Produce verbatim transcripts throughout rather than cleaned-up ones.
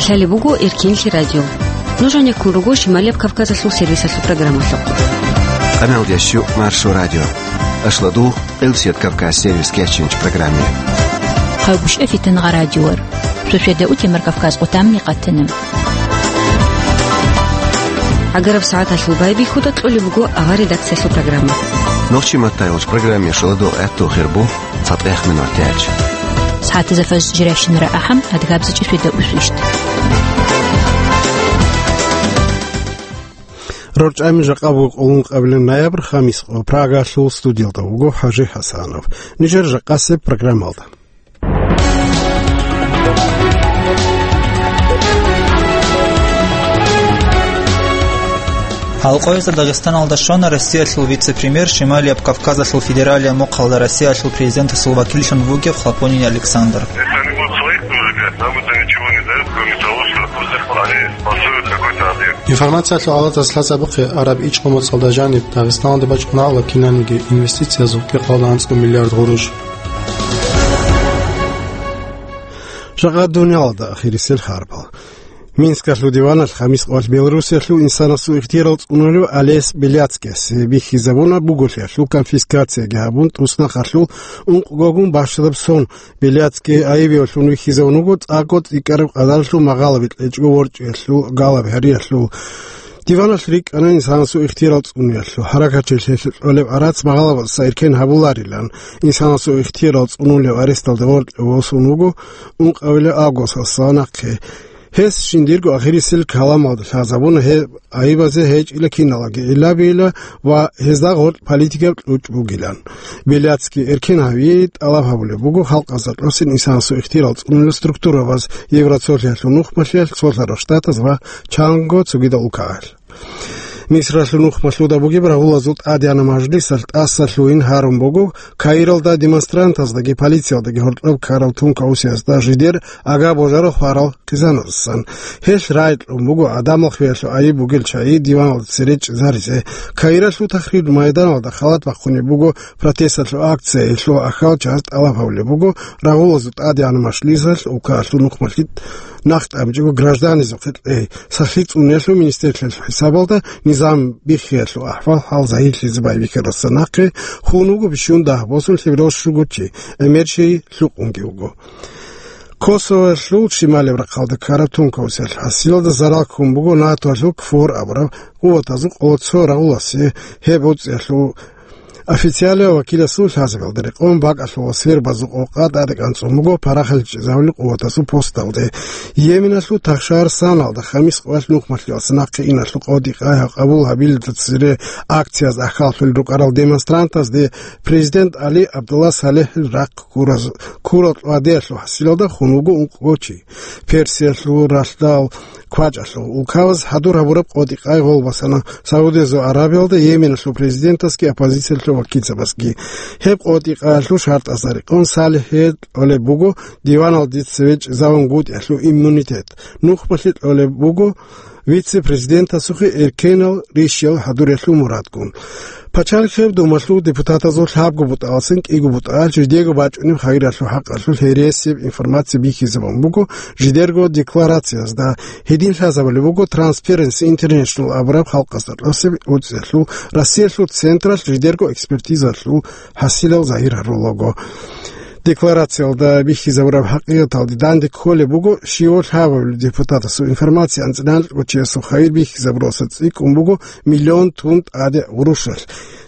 Лъалеб буго Эркенлъи радио. Нуж гьанеккун руго Шималияб Кавказалъул сервисалъул программалъухъ. Къаналда щу Маршо радио. Ашладу Элсият Кавказ сервис кечинч программе. Хъагушев Фитнагъа радиор. Суседа утемар Кавказ къутамни къатана. Агараб сагӀаталъул байбихьуда кьолеб буго авар редакциялъул программа. Нохчи маттайолч программе шаладу гӀатту хирбу. Фатех минутач. СагӀатазда фаз жиращинара ахӀам, адгабзачӀи светда усвищт. РорчӀами жакъа буго къолун къабилан ноябрь, хамис къо, Прагалъул студиялда вуго ХӀажи ХӀасанов. Нижер жакъасеб программалда. Гьалкъоязда Дагъистаналда щвана Россиялъул вице-премьер, Шималияб Кавказалъул федералияб мухъалда Россиялъул президентасул вакиллъун вугев Хлопонин Александр. Если они будут своих предлагать, нам это ничего не даёт, кроме того, что они пасуют какой-то объект. Информациялъул гӀалатӀаз лъазабухъе, араб ичӀго моцӀалда жаниб Дагъистаналде бачӀунагӀула кинаниги инвестициязул кӀикъоялда анцӀго миллиард гъурущ. Жакъа дуниялалда ахирисел хабарал. Минскалъул диваналъ хамис къоялъ Белоруссиялъул инсанасул ихтиярал цӀунулев Олесь Беляцкиясе бихьизабуна буголъиялъул конфискацияги гьабун, тӀуснахъалъул ункъгогун бащдаб сон. Беляцкий айибиялъун вихьизабун вуго цӀакъго цӀикӀкӀараб къадаралъул магъалаби кьечӀого ворчӀиялъул, галаб гьариялъул. Диваналъ рикӀкӀана инсанасул ихтиярал цӀунулъул гьаракатчи лъелъ кьолеб гӀарац магъалабаздаса эркен гьабуларилан. Инсанасул ихтиярал цӀунулев аресталда воркьов восун вуго ункъабилеб августалдаса нахъе. Гьес жиндирго ахирисел каламалда лъазабуна гьеб айибазе гьечӀила киналаги гӀиллабийила ва гьезда гъоркь политикаб кьучӀ бугилан. Беляцкий эркен гьавиялъе тӀалаб гьабулеб буго халкъазда тӀасин инсанасул ихтиярал цӀунулел структурабаз, Евросоюзалъул нухмалъиялъ, Цолъарал Штатаз ва чанго цогидал улкаялъ. Мисралъул нухмалъуда бугеб рагъулазул тӀадегӀанаб мажлисалъ тӀаса лъугьин гьарун буго, Каиралда демонстрантаздаги полициялдаги гьоркьоб ккарал тункаусиязда жидер ага божарав хварал хъизаназдасан. Гьелъ рагӀи кьун буго гӀадамал хвеялъул айиб бугел чагӀи диваналда цере чӀезаризе. Каиралъул Тахрир майданалда халат бахъунеб буго протесталъул акция, гьелъул ахал чагӀаз тӀалаб гьабулеб буго рагъулазул тӀадегӀанаб мажлисалъ улкаялъул нухмалъи нах тӀамчӀого гражданизухъе кьей. Сахлъи цӀунулъул министрлъиялъул хӀисабалда низам биххиялъул ахӀвал-хӀал загьирлъизе байбихьаралдаса нахъе хун вуго бищун дагь босун лъеберал щуго чи, гӀемер чей лъукъунги вуго. Косовоялъул шималияб рахъалда ккараб тункаусиялъ хӀасилалда зарал ккун буго НАТОялъул КФОР абураб къуватазул къо-, цо рагъуласе. Гьеб уцӀиялъул официалияв вакиласул лъазабиялда рекъон бакӀалъула свербазул къокъа тӀадекӀанцӀун буго парахаличӀезавли къуватасул посталде. Йеменалъул Тахшар Саналда хамис къоялъ нухмалъиялдаса нахъе иналъул къотӀи-къай гьаб къабул гьабилелда цере акцияз ахьаллъулел рукӀарал демонстрантазде президент ГӀали Абдулла Салихил рахъ ккураз-, ккурал кьвадиялъул хӀасилалда хун вуго ункъго чи. Персиялъул ралъдал квачӀалъул улкабаз хӀадур гьабураб къотӀи-къай гъол басана Саудиязул Аравиялда Йеменалъул президентасги оппозициялъул вакилцабазги. Гьеб къотӀи-къаялъул шартӀазда рекъон Салихие кьолеб буго диваналде цеве чӀезавунгутӀиялъул иммунитет, нухмалъи кьолеб буго вице-президентасухъе эркенал рищал хӀадуриялъул мурадгун. Пачалихъеб Думалъул депутатазул лъабго бутӀалдасан кӀиго бутӀа жидего бачӀунеб хайиралъул хӀакъалъулъ гьересияб информация бихьизабун буго жидерго декларациязда. Гьедин лъазабулеб буго Transparency International абураб халкъазда тӀасаб уцӀиялъул Россиялъул централъ жидерго экспертизалъул хӀасилал загьир гьарулаго. Декларациялда бихьизабураб хӀакъикъаталде данде кколеб буго щивав лъабабилеб депутатасул информация анцӀила кӀочиясул хайир бихьизабуралдаса цӀикӀкӀун буго миллион тун тӀаде гъурущалъ.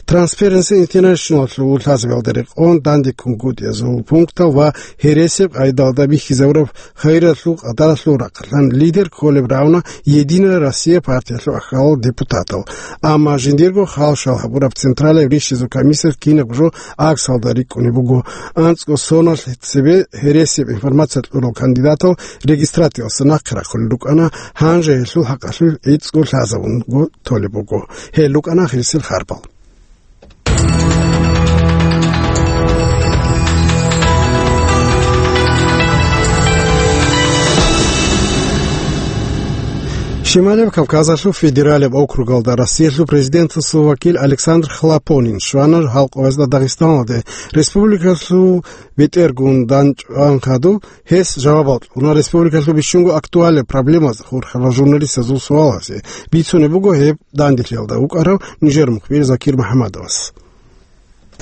Transparency International-лъул лъазабиялда рекъон дандеккунгутӀиязул пунктал ва гьересияб къайдалда бихьизабураб хайиралъул къадаралъул рахъалъан лидер кколеб рагӀуна Единая Россия партиялъул ахьалал депутатал. Амма жиндирго хал-шал гьабураб Централияб рищизул комиссиялъ кинабго жо аксалда рикӀкӀунеб буго. АнцӀго соналъ цебе гьересияб информация кьурал кандидатал регистрациялдаса нахъе рахъулел рукӀана, гьанже гьелъул хӀакъалъулъ гӀицӀго лъазабунго толеб буго. Гьел рукӀана ахирисел харбал. Шималияб Кавказалъул федералияб округалда Россиялъул президентасул вакил Александр Хлопонин щвана гьал къоязда Дагъистаналде республикалъул бетӀергун данчӀван хадуб. Гьес жавабал кьуна республикалъул бищунго актуалияб проблемазда хурхарал журналистазул суалазе. Бицунеб буго гьеб данделъиялда вукӀарав нижер мухбир Закир МухӀаммадовас.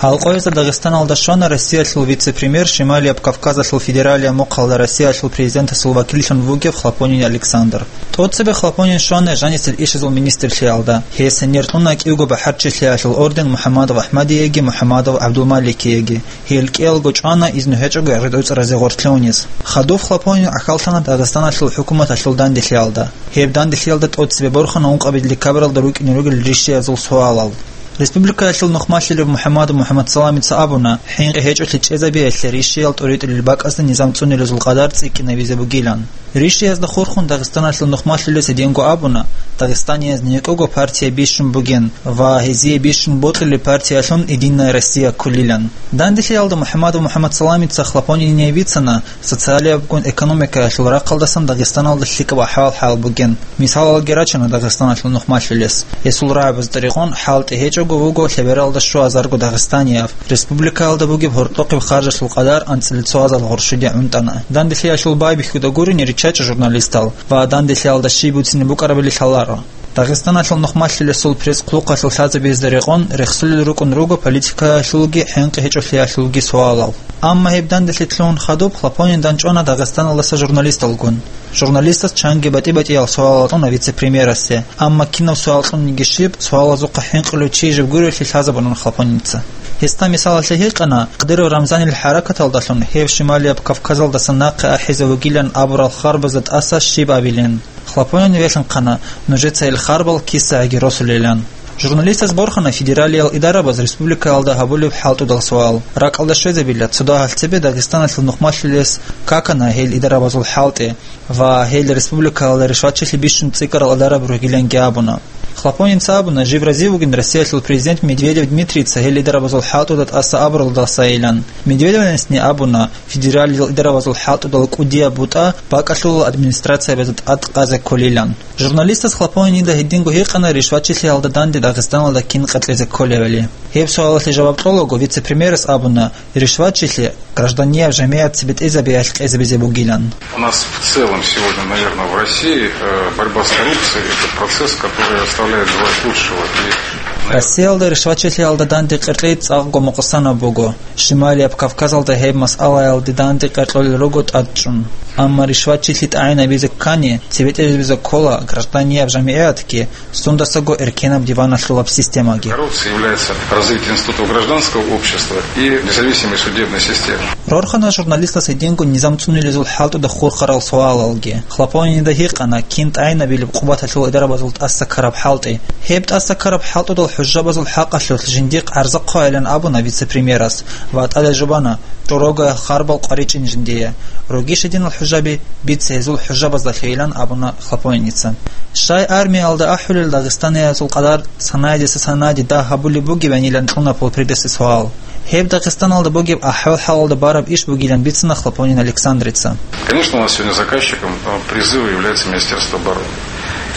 Гьал къоязда Дагъистаналда щвана Россиялъул вице-премьер, Шималияб Кавказалъул федералияб мухъалда Россиялъул президентасул вакиллъун вугев Хлопонин Александр. ТӀоцебе Хлопонин щвана жанисел ишазул министрлъиялда. Гьес гьенир кьуна кӀиявго бахӀарчилъиялъул орден МухӀаммадов Ахмадиеги МухӀаммадов ГӀабдулмаликиеги. Гьел кӀиялго чӀвана, изну гьечӀого гӀезегӀуцӀразе гъорлъе унез. Хадуб Хлопонин гӀахьаллъана Дагъистаналъул хӀукуматалъул данделъиялда. Гьеб данделъиялда тӀоцебе борхана ункъабилеб декабралда рукӀине ругел ришшиязул суалал. Республикаялъул нухмалъулев МухӀаммадов МухӀаммадсаламица абуна, хӀинкъи гьечӀолъи чӀезабиялъе ришшиял тӀоритӀулел бакӀазда низам цӀунилезул къадар цӀикӀкӀинабизе бугилан. Ришшиязда хурхун Дагъистаналъул нухмалъулез гьединго абуна, дагъистанияз некӀого партия бищун бугин ва гьезие бищун бокьулеб партиялъун «Единая Россия» кколилан. Данделъиялда МухӀаммадов МухӀаммадсаламица Хлопонине бицана, социалиябгун экономикаялъул рахъалдасан Дагъистаналда лъикӀаб ахӀвал-хӀал бугин. Мисалалги рачана Дагъистаналъул нухмалъулес. Гьесул рагӀабазда рекъон хӀалтӀи гьечӀого вуго лъебералда щуазарго дагъистанияв. Республикаялда бугеб гьоркьохъеб харжалъул къадар анцӀила цо азал гъоршуде гӀунтӀана. Данделъиялъул байбихьуда гурине риччачӀо журналистал ва данделъиялда щиб буцин букӀарабали лъаларо. Дагъистаналъул нухмалъулесул пресс-хъулухъалъул лъазабиязда рекъон рехсулел рукӀун руго политикаялъулги хӀинкъи гьечӀолъиялъулги суалал. Амма гьеб данделъи лъугьун хадуб Хлопонин данчӀвана Дагъистаналдаса журналисталгун. Журналистас чанги батӀи-батӀиял суалал кьуна вице-премьерасе, амма кинаб суал кьуниги щиб, суалазухъа хӀинкъулев чи жиб гурелъи лъазабунан Хлопоница. Гьесда мисалалъе гьикъана, Кадыров Рамзанил хӀаракаталдалъун гьев Шималияб Кавказалдаса нахъе ахӀизе вугилан абурал харбазда тӀаса щиб абилин. Хлопонин велъанхъана, нужеца ил харбал кисагӀаги росулилан. Журналистас борхана федералиял идарабаз республикаялда гьабулеб хӀалтӀудал суал. РакӀалда щвезабила, цо дагьалъ цебе Дагъистаналъул нухмалъулес какана гьел идарабазул хӀалтӀи ва гьел республикаялда ришватчилъи бищун цӀикӀкӀарал идараб ругиланги абуна. Хлопоница абуна, жив разив вугин Россиялъул президент Медведев Дмитрийица гьел идарабазул хӀалтӀуда тӀаса абуралдасайилан. Медведевнасни абуна, федералил идарабазул хӀалтӀудал кӀудияб бутӀа бакӀалъулал администрациябазда тӀад къазе кколилан. Журналистас Хлопонида гьединго гьикъана ришватчилъиялда данде Дагъистаналда кин къеркьезе кколевали. Гьеб суалалъе жаваб кьолаго вице-премьерас абуна, ришватчилъи гражданияб жамигӀат цебетӀезабиялъ къезабизе бугилан. У нас в целом сегодня, наверное, в России, э, борьба с коррупцией — это процесс, который оставляет желать лучшего. И, наверное, Россиялда ришватчилъиялда данде къеркьей цӀакъго мукъсанаб буго. Шималияб Кавказалда гьеб масъалаялде данде къеркьолел руго тӀадчӀун. Амма ришватчилъи тӀагӀинабизе ккани, цебетӀезабизе ккола гражданияб жамигӀатги, сундасаго эркенаб диваналъулаб системаги. Коррупция является развитием институтов гражданского общества и независимой судебной системы. Рорхана журналистас гьединго низам цӀунилезул хӀалтӀуда хурхарал суалалги. Хлопонида гьикъана, кин тӀагӀинабилеб къубаталъул идарабазул тӀаса ккараб хӀалтӀи. Гьеб тӀаса ккараб хӀалтӀудал хӀужабазул хӀакъалъулъ жиндихъ гӀарза хъвайилан абуна вице-премьерас ва тӀаде жубана, чӀорогоял харбал къваричӀин жиндие. Ругищ гьединал хӀужаби, бице гьезул хӀужабаздалъейилан абуна Хлопоница. Щай армиялда ахӀулел дагъистаниязул къадар санайдаса санайде дагь гьабулеб бугебанилан кьуна полпредесе суал. Гьеб Дагъистаналда бугеб ахӀвал-хӀалалда бараб иш бугилан бицана Хлопонин Александрица. Конечно, у нас сегодня заказчиком, э, призыва является Министерство обороны.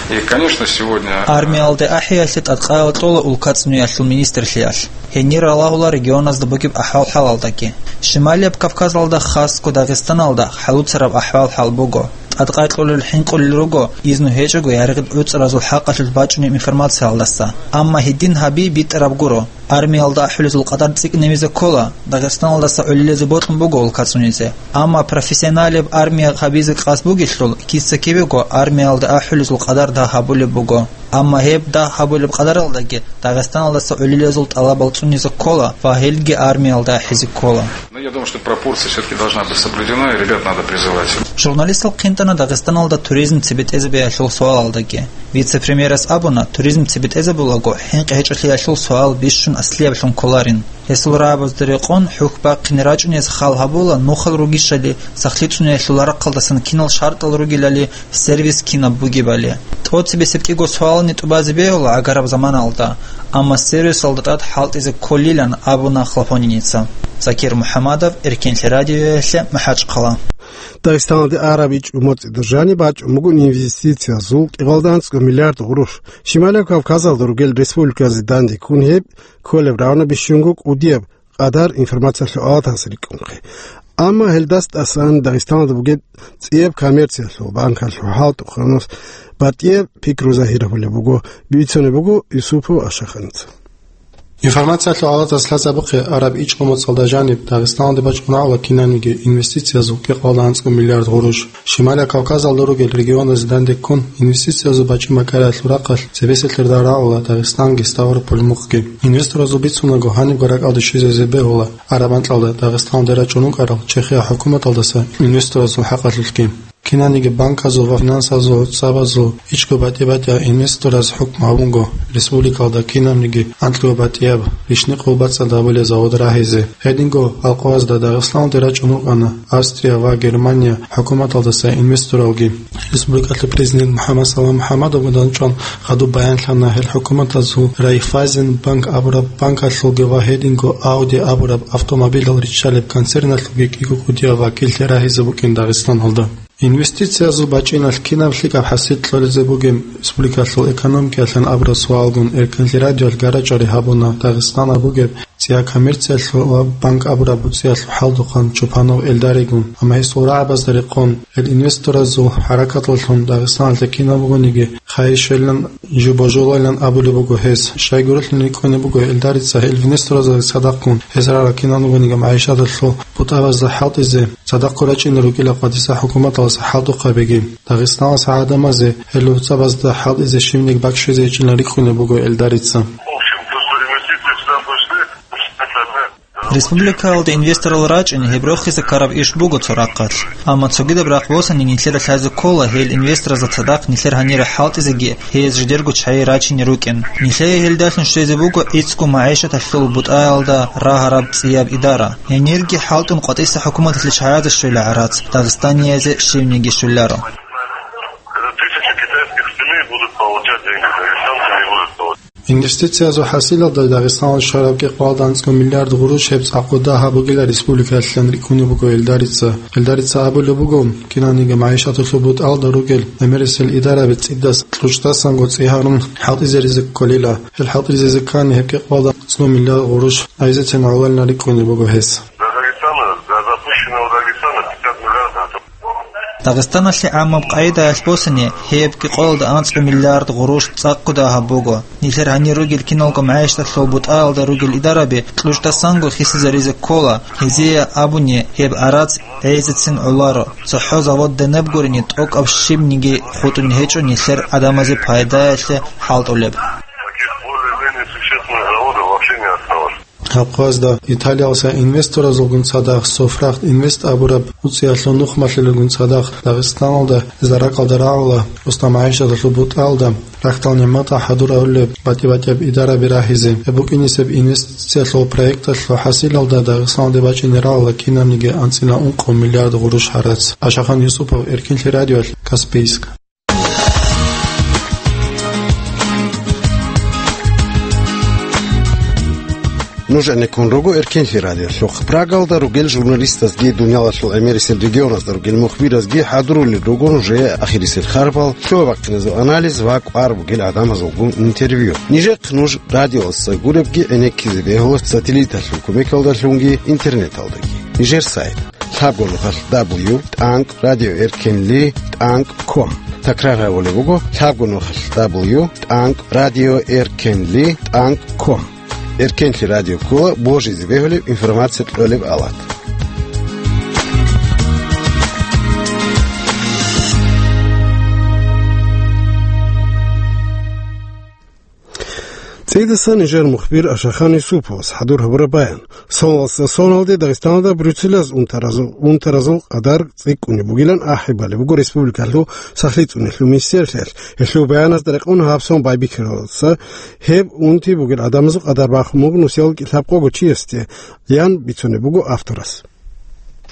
И, конечно, сегодня, э, Армиялде ахӀиялъе тӀадкъаял кьола улкацӀнуялъул министрлъиялъ. Гьенир ралагьула регионазда бугеб ахӀвал-хӀалалдаги. Шималияб Кавказалда, хасго Дагъистаналда, хӀалуцараб ахӀвал-хӀал буго. ТӀадкъай кьолел хӀинкъулел руго, изну гьечӀого яригъил гӀуцӀразул хӀакъалъулъ бачӀунеб информациялдаса. Амма гьедин гьаби битӀараб гуро. Армиялда ахӀулезул къадар цӀикӀкӀинабизе ккола, Дагъистаналдаса гӀолилезе бокьун буго улкацӀунизе. Амма профессионалияб армия гьабизе къасд бугелъул, киса-кибего армиялда ахӀулезул къадар дагь гьабулеб буго. Амма гьеб дагь гьабулеб къадаралдаги Дагъистаналдаса гӀолилезул тӀалабал цӀунизе ккола ва гьелги армиялда ахӀизе ккола. Но я думаю, что пропорция всё-таки должна быть соблюдена, и ребят надо призывать. Журналистал хъинтӀана Дагъистаналда туризм цебетӀезабиялъул суалалдаги. Вице-премьерас абуна, туризм цебетӀезабулаго, хӀинкъи гьечӀолъиялъул суал бищун аслияблъун кколарин. Гьесул рагӀабазда рекъон хӀухь бахъине рачӀунез хал гьабула нухал ругищали, сахлъи цӀуниялъул рахъалдасан кинал шартӀал ругелали, сервис кинаб бугебали. ТӀоцебесеб кӀиго суални тӀубазе бегьула гӀагараб заманалда, амма сервисалда тӀад хӀалтӀизе кколилан абуна Хлопониница. Закир МухӀаммадов, Эркенлъи радиоялъе, МахӀачхъала. Дагъистаналде араб ичӀго моцӀида жаниб бачӀун буго инвестициязул кӀикъоялда анцӀго миллиард гъурущ. Щималияб Кавказалда ругел республиказде данде ккун гьеб кколеб равно бищунго кӀудияб къадар информациялъул палатаялъ рикӀкӀунхъе. Амма гьелдаса тӀасан Дагъистаналда бугеб цӀияб коммерциялъул банкалъул хӀалтӀухъанас батӀияб пикру загьир гьабулеб буго, бицунеб буго Юсупов Ашаханица. Информациялъул палатас лъазабухъе араб ичӀго моцӀалда жаниб Дагъистаналде бачӀун гьавула кинабниги инвестициязул кӀикъоялда анцӀго миллиард гъурущ. Щималияб Кавказалда ругел регионазде данде ккун, инвестициязул бачӀи-макъариялъул рахъалъ цебесеб лъарда рагӀула Дагъистанги Ставрополь мухъги. Инвесторазул бицунаго, гьанибго ракӀалде щвезаризе бегьула араб анкьалда Дагъистаналде рачӀун рукӀарал Чехия хӀукуматалдаса инвесторасул хӀакъалъулъги. Кинабниги банказул ва финансазул гӀуцӀабазул ичӀго батӀи-батӀияб инвестораз хӀукму гьабунго республикалда кинабниги анкьго батӀияб рищникъго бацӀцӀад гьабулеб завод рагьизе. Гьединго алкъоязда Дагъистаналде рачӀун рукӀана Австрия ва Германия хӀукуматалдаса инвесторалги. Республикалъул президент МухӀаммад Салам МухӀаммадовгун дандчӀван хадуб баянлъана гьел хӀукуматазул Райффайзен банк абураб банкалъулги ва гьединго Ауди абураб автомобилал риччалеб концерналъулги кӀиго кӀудияб вакиллъи рагьизе букӀин Дагъистаналда. Инвестициязул бачӀиналъ кинаб лъикӀаб хӀасил кьолеб бугеб республикалъул экономикаялъан абураб суалгун Эркенлъи радиоялъ гара-чӀвари гьабуна Дагъистаналда бугеб цӀияб коммерциялъул ва банк абураб буцӀиялъул хӀалтӀухъан Чупанов Элдаригун, амма гьесул рагӀабазда рекъон, гьел инвесторазул хӀаракаталдалъун Дагъистаналъе кинаб бугониги хайир щвелилан жо божуларилан абулеб буго гьес. Щайгурелъул рикӀкӀунеб буго Элдарица гьел инвесторзабазда цадахъгун гьез рагӀарал кинаб бугониги магӀишаталъул бутӀабазда хӀалтӀизе цадахъго рачӀунел ругила къватӀиса хӀукуматалъ хӀалтӀухъабиги. Дагъистаналъ гӀадамазе гьел гӀуцӀабазда хӀалтӀизе щибниги бакӀ щвезе гьечӀилан рикӀкӀунеб буго Элдарица. В общем, то, что инвестиции сюда пришли, это Республикаялда инвесторал рачӀин, гьеб рохизе ккараб иш буго цо рахъалъ. Амма цогидаб рахъ босани нилъеда лъазе ккола гьел инвесторазда цадахъ нилъер гьанире хӀалтӀизеги, гьез жидерго чагӀи рачине рукӀин. Нилъее гьелдалъун щвезе буго гӀицӀго магӀишаталъул бутӀаялда рагьараб цӀияб идара. Гьенирги хӀалтӀун къватӀиса хӀукуматалъе чагӀазе щвела гӀарац, дагъистаниязе щибниги щвеларо. Тысячи китайских семей будут получать деньги, дагестанцы не будут получать. Инвестициязул хӀасилалда Дагъистаналъ щвараб кӀикъоялда анцӀго миллиард гъурущ гьеб цӀакъ кӀудияб бугила республикаялъан рикӀкӀунеб буго Элдарица. Элдарица абулеб буго, кинабниги магӀишаталъул бутӀалда ругел гӀемерисел идараби цӀидасан кьучӀдасанго цӀи гьарун хӀалтӀизаризе кколила. Гьел хӀалтӀизаризе ккани гьеб кӀикъоялда анцӀго миллиард гъурущ гӀезецин гӀололин рикӀкӀунеб буго гьес. Для Дагестана, для запущенного Дагестана пятьдесят миллиардов. Дагъистаналъе гӀаммаб къагӀидаялъ босани, гьеб кӀикъоялда анцӀго миллиард гъурущ цӀакъ кӀудияб буго. Нилъер гьанир ругел киналго магӀишаталъул бутӀаялда ругел идараби кьучӀдасанго хисизаризе ккола, гьезие абуни, гьеб гӀарац гӀезецин гӀоларо. ЦохӀо завод данаб гурони, тӀокӀаб щибниги хутӀун гьечӀо нилъер гӀадамазе пайдаялъе хӀалтӀулеб. Таких более-менее существенных заводов вообще не осталось. Гьаб къоязда Италиялдаса инвесторазулгун цадахъ Софрахт Инвест абураб буцӀиялъул нухмалъулелгун цадахъ Дагъистаналда заракалда рагӀула, устараб магӀишаталъул бутӀалда рахьдал нигӀматал хӀадур гьарулел батӀи-батӀияб идараби рагьизе. Гьеб букӀинисеб инвестициялъул проекталъул хӀасилалда Дагъистаналде бачӀине рагӀула кинабниги анцӀила ункъо миллиард гъурущ гьарац. Ашахан Юсупов, Эркинлъи радиоялъ, Каспийск. Нуж гӀенеккун руго Эркенлъи радиолъухъ. Прагалда ругел журналистазги, дуниялалъул гӀемерисел регионазда ругел мухбиразги хӀадурулел руго нужее ахирисел харпал, лъугьа-бахъиназул анализ ва кӀвар бугел гӀадамазулгун интервью. Нижехъ нуж радиоялдаса гуребги гӀенеккизе бегьула сателлиталъул кумекалдалъунги интернеталдаги. Нижер сайт: лъабго нухалъ дабл ю тӀанкӀ радио эркенли тӀанкӀ ком. Такрар гьабулеб буго: лъабго нухалъ дабл ю тӀанкӀ радио эркенли тӀанкӀ ком. Эркенлъи радио ккола божизе бегьулеб информация кьолеб алат. ЦӀидасан нижер мухбир Ашахан Юсуповас хӀадур гьабураб баян. Соналдаса соналде Дагъистаналда Брюсселалъ унтаразул, унтаразул къадар цӀикӀкӀунеб бугилан ахӀи балеб буго республикалъул сахлъи цӀунелъул министерствоялъ. Гьелъул баяназда рекъон гьаб сон байбихьаралдаса гьеб унти бугел гӀадамазул къадар бахун буго нусиялда кӀилъабкъого чиясде, ян бицунеб буго авторас.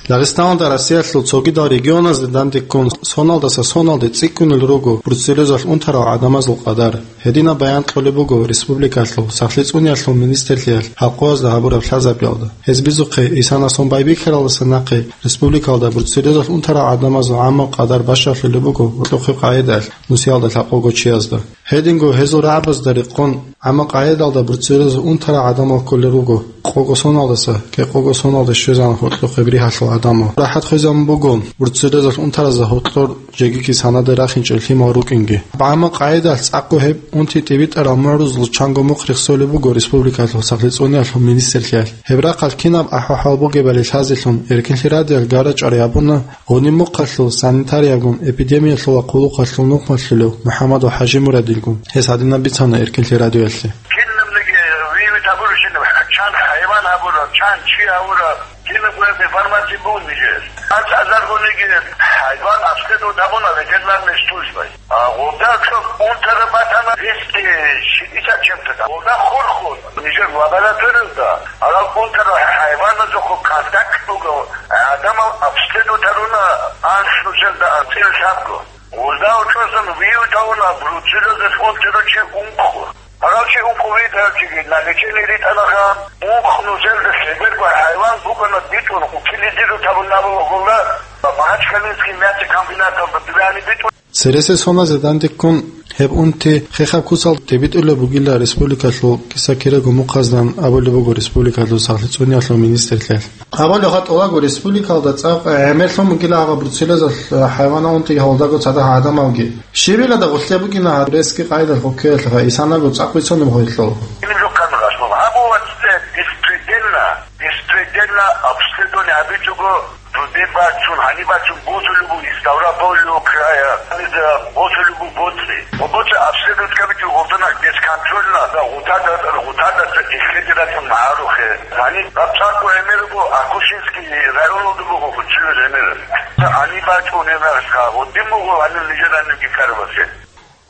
Дагъистаналда Россиялъул цогидал регионазде дандеккун соналдаса соналде цӀикӀкӀунел руго бруцеллезалъ унтарал гӀадамазул къадар. Гьединаб баян кьолеб буго республикалъул сахлъи цӀуниялъул министрлъиялъ гьаб къоязда гьабураб лъазабиялда. Гьез бицухъе, исана сон байбихьаралдаса нахъе республикалда бруцеллезалъ унтарал гӀадамазул гӀаммаб къадар бащалъулеб буго гьоркьохъеб къагӀидаялъ нусиялда лъабкъого чиязда. Гьединго гьезул рагӀабазда рекъон, гӀаммаб къагӀидалда бруцеллезалъ унтарал гӀадамал кколел руго къого соналдаса кӀикъого соналде щвезегӀан гьоркьохъеб ригьалъул гӀадамал. РахӀат хвезабун буго бруцеллезалъ унтаразда гьоркьор жеги кисанаде рахинчӀел лъимал рукӀинги. ГӀаммаб къагӀидалъ цӀакъго гьеб унти тӀибитӀарал мугӀрузул чанго мухъ рехсолеб буго республикалъул сахлъи цӀуниялъул министрлъиялъ. Гьеб рахъалъ кинаб ахӀвал-хӀал бугебали лъазелъун, Эркинлъи радиоялъ гара-чӀвари гьабуна гъуни мухъалъул санитариябгун эпидемиялъула хъулухъалъул нухмалъулев МухӀаммадов ХӀажимурадилгун. Гьес гьадинаб бицана Эркинлъи радиоялъе. Кинабниги вивит гьабурищинаб, чан хӀайван гьабураб, чан чи гьабураб, кинаб гьеб информация бугеб нижер? АнцӀазаргониги хӀайван обследовать гьабуна ветеринарный службай. А гъурда цо унтараб батана двести шестьдесят чем-то. Гъурда хурхун нижер лабораториялда, гьарал унтарал хӀайваназухъ контакт буго, гӀадамал обследовать гьаруна анлънуселда анцӀила лъабго. Гъурда гьоркьосан вивит гьавуна бруцеллезалъ унтарав чи ункъо. Гьарав чи ункъо витӀарав чиги на лечение ритӀанаха, ункъ нусилда лъеберго хӀайван букӀана битӀун, утилизировать гьабун абула гъурда Махачкалинский мясокомбинаталда дубяни битӀун. Цересел соназе дандеккун гьеб унти хехаб куцалда тӀибитӀулеб бугила республикалъул киса-кираго мухъаздан абулеб буго республикалъул сахлъи цӀуниялъул министрлъиялъ. Абулеб хатӀулаго республикалда цӀакъ гӀемерлъун бугила гьаб бруцеллезалъ хӀайванал унтиги гьалдаго цадахъ гӀадамалги. Щибилада гъулъе букӀина гьаб резги къайдалъ гъуккеялъ ва исанаго цӀакъ бицунеб гъойлъул. Гьаб вацде беспредельно, беспредельно обследование гьабичӀого, дуде бачун, гьаниб бачун босулеб буго Ставропольул края, гьаниб босулеб буго боцӀи. Ва боцӀи обследовать гьабичӀого гъолдана бесконтрольно, да, гъутада, гъутада исследовать гьабун гьарухъе. Гьаниб гьаб цӀакъго гӀемер буго, Акушинский районалда буго гъучӀулеб гӀемер. Гьаниб бачӀунеб гьарха, гъудин буго гьаниб нижер гьанибги карабасе.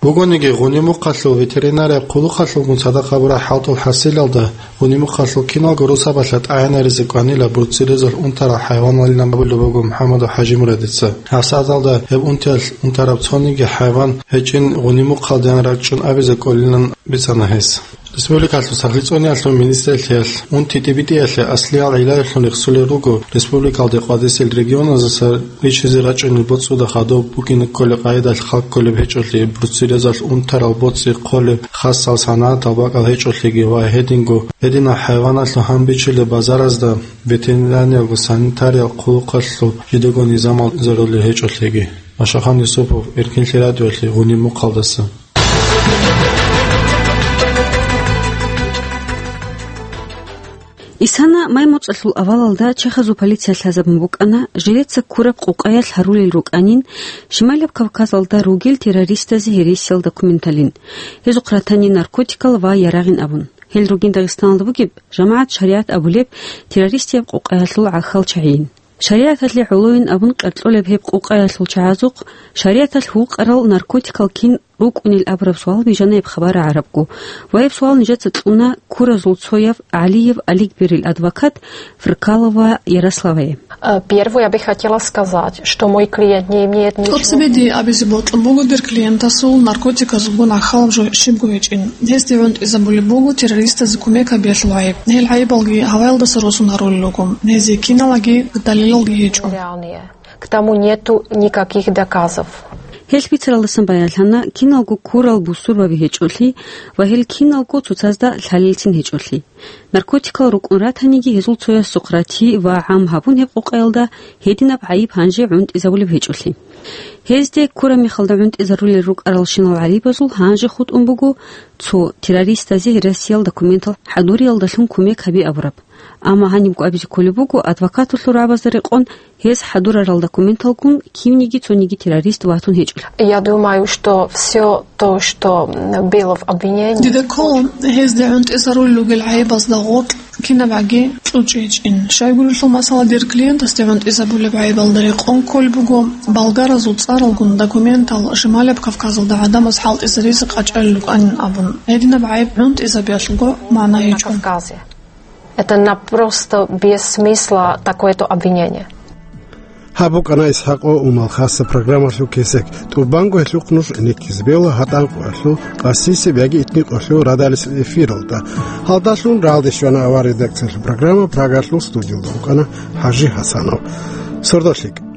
Бугониги, гъуни мухъалъул ветеринария хъулухъалъулгун цадахъ гьабураб хӀалтӀул хӀасилалда, гъуни мухъалъул киналго росабалъа тӀагӀинаризе кӀванила бруцеллезалъ унтарал хӀайваналилан абулеб буго МухӀаммадов ХӀажимурадица. ГьабсагӀаталда гьеб унтиялъ унтараб цониги хӀайван гьечӀин гъуни мухъалдеян рачӀун абизе кӀолилан бицана гьес. Республикалъул сахлъи цӀуниялъул министрлъиялъ унти тӀибитӀиялъе аслиял гӀиллаялъун рехсулел руго республикалде къватӀисел регионаздаса риччазе рачӀунел боцӀуда хадуб букӀине кколеб къагӀидалъ хал кколеб гьечӀолъи, бруцеллезалъ унтарал боцӀи хъолеб хасал санагӀатал бакӀал гьечӀолъиги ва гьединго гьединал хӀайваналъул гьанбичилеб базаразда ветеринарияго санитариял хъулухъалъул жидего низамал зарулел гьечӀолъиги. Машахан Юсупов, Эркинлъи радиоялъе, гъуни мухъалдаса. Исана май моцӀалъул авалалда чехазул полиция лъазабун букӀана, жидеца ккураб къукъаялъ гьарулел рукӀанин, Шималаб Кавказалда ругел террористазе гьересиял документалин, гьезухъ ратани наркотикал ва ярагъин абун. Гьел ругин Дагъистаналда бугеб жамагӀат шаригӀат абулеб террористияб къукъаялъул гӀахьал чагӀийин. ШаригӀаталъе гӀолойин абун къеркьолеб гьеб къукъаялъул чагӀазухъ шаригӀаталъ гьукъарал наркотикал кин рукӀунел абураб суал бижана гьеб хабар рагӀарабго, ва гьеб суал нижеца кьуна ккуразул цояв ГӀалиев Аликберил адвокат Фркалова Ярославае. Э, первое, я бы хотела сказать, что мой клиент не имеет ничего. ТӀоцебе дие абизе бокьун буго дир клиентасул наркотиказулгун гӀахьалаб жо щибго гьечӀин. Гьесде гӀунтӀизабулеб буго террористазе кумек гьабиялъул гӀайиб. Гьел гӀайибалги гьаваялдаса росун гьарулел руго. Гьезие киналги далилалги гьечӀо. Реальные. К тому нету никаких доказов. Гьелъ бицаралдасан баянлъана киналго ккурал бусурбаби гьечӀолъи ва гьел киналго цоцазда лъалелцин гьечӀолъи. Наркотикал рукӀун ратаниги гьезул цоясухъ рати ва гӀам гьабун гьеб къукъаялда гьединаб гӀайиб гьанже гӀунтӀизабулеб гьечӀолъи. Гьезде ккураб мехалда гӀунтӀизарулел рукӀаралщинал гӀайибазул гьанже хутӀун буго цо террористазе гьересиял документал хӀадуриялдалъун кумек гьаби абураб. Амма гьанибго абизе кколеб буго адвокаталъул рагӀабазда рекъон гьез хӀадурарал документалгун кивниги цониги террорист ватун гьечӀолъи. Я думаю, что всё то, что, м, было в обвинении. Дида ккола, гьезде гӀунтӀизарулел ругел гӀайибазда гъоркь кинабгӀаги кьучӀичӀин. Щайгурелъул масала, дир клиентасде гӀунтӀизабулеб гӀайибалда рекъон кколеб буго болгаразул цӀаралгун документал Шималаб Кавказалда гӀадамаз хӀалтӀизаризе къачӀалел рукӀанин абун. Гьединаб гӀайиб гӀунтӀизабиялъулго магӀна гьечӀо. Кавказе. Это на просто без смысла такое-то обвинение. Гьаб букӀана ИсхӀакъо Умалхасда программалъул кесек. ТӀубанго гьелъухъ нуж гӀенеккизе бегьула гьатӀан къоялъул, къасисеб яги итни къоялъул радалисел эфиралда. Гьалдалъун рагӀалде щвана авар редакциялъул программа, Прагалъул студиялда вукӀана ХӀажи ХӀасанов. Сордо лъикӀ.